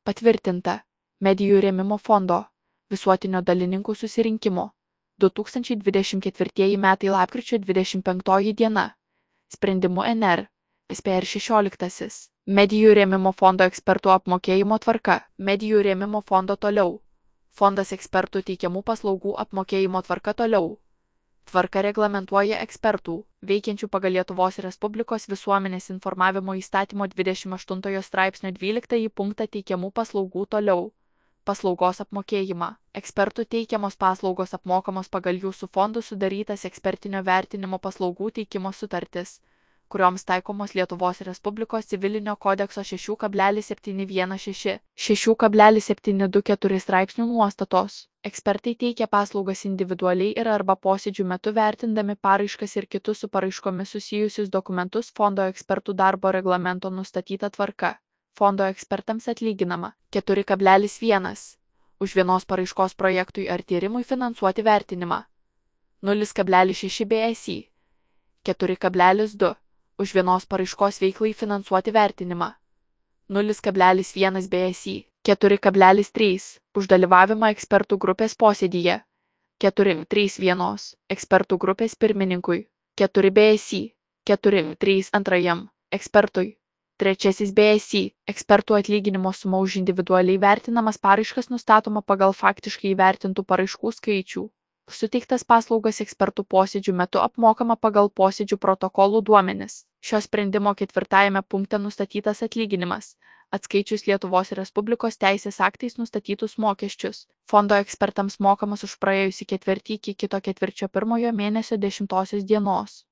Patvirtinta Medijų rėmimo fondo visuotinio dalininkų susirinkimo 2024 metai lapkričio 25 diena. Sprendimu NR. SPR 16. Medijų rėmimo fondo ekspertų apmokėjimo tvarka. Medijų rėmimo fondo toliau. Fondas ekspertų teikiamų paslaugų apmokėjimo tvarka toliau. Tvarka reglamentuoja ekspertų, veikiančių pagal Lietuvos Respublikos visuomenės informavimo įstatymo 28 straipsnio 12 punktą teikiamų paslaugų toliau. Paslaugos apmokėjimą. Ekspertų teikiamos paslaugos apmokamos pagal jų su fondu sudarytas ekspertinio vertinimo paslaugų teikimo sutartis, kurioms taikomos Lietuvos Respublikos civilinio kodekso 6,716, 6,724 straipsnių nuostatos. Ekspertai teikia paslaugas individualiai ir arba posėdžių metu vertindami paraiškas ir kitus su paraiškomis susijusius dokumentus fondo ekspertų darbo reglamento nustatyta tvarka. Fondo ekspertams atlyginama 4,1 už vienos paraiškos projektui ar tyrimui finansuoti vertinimą, 0,6 BSI, 4,2 už vienos paraiškos veiklai finansuoti vertinimą, 0,1 BSI, 4,3 už dalyvavimą ekspertų grupės posėdyje, 4,31 ekspertų grupės pirmininkui, 4 BSI, 4,3 antrajam ekspertui. 3 BSI ekspertų atlyginimo suma už individualiai vertinamas paraiškas nustatoma pagal faktiškai įvertintų paraiškų skaičių. Suteiktas paslaugas ekspertų posėdžių metu apmokama pagal posėdžių protokolų duomenis. Šio sprendimo 4 punkte nustatytas atlyginimas, atskaičius Lietuvos Respublikos teisės aktais nustatytus mokesčius. Fondo ekspertams mokamas už praėjusį ketvirtį iki kito ketvirčio pirmojo mėnesio 10 dienos.